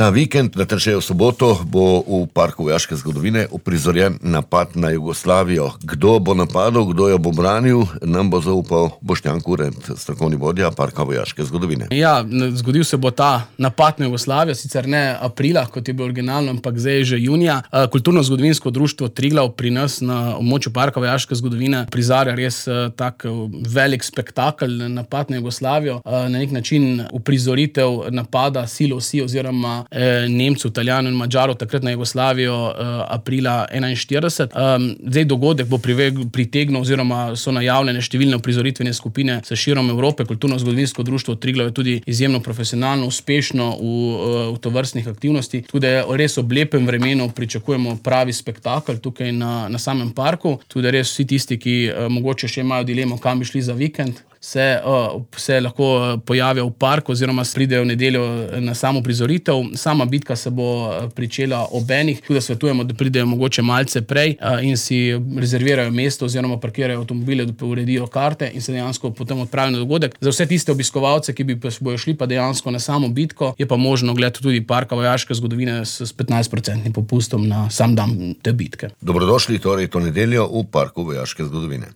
Ta vikend, natančneje v soboto, bo v Parku vojaške zgodovine uprizorjen napad na Jugoslavijo. Kdo bo napadal, kdo jo bo branil, nam bo zaupal Boštjan Kurent, strokovni vodja Parka vojaške zgodovine. Ja, zgodil se bo ta napad na Jugoslavijo, sicer ne aprila, kot je bilo originalno, ampak zdaj je že junija. Kulturno-zgodovinsko društvo Triglav pri nas na območju Parka vojaške zgodovine prizarja res tak velik spektakel, napad na Jugoslavijo, na nek način uprizoritev napada Silosi oziroma Nemcev, Italijanov in Madžarov takrat na Jugoslavijo aprila 1941. Zdaj dogodek bo pritegnil oziroma so najavljene številne uprizoritvene skupine sa širom Evrope. Kulturno-zgodovinsko društvo Triglav je tudi izjemno profesionalno, uspešno v tovrstnih aktivnosti. Tudi res ob lepem vremenu pričakujemo pravi spektakel tukaj na samem parku. Tudi res vsi tisti, ki mogoče še imajo dilemo, kam bi šli za vikend, se lahko pojavijo v parku oziroma pridejo v nedeljo na samo prizoritev. Sama bitka se bo pričela ob enih, tudi svetujemo, da pridejo mogoče malce prej in si rezervirajo mesto oziroma parkirajo avtomobile, da uredijo karte in se dejansko potem odpravijo na dogodek. Za vse tiste obiskovalce, ki bojo šli pa dejansko na samo bitko, je pa možno gledati tudi Parka vojaške zgodovine s 15% popustom na sam dan te bitke. Dobrodošli torej to nedeljo v Parku vojaške zgodovine.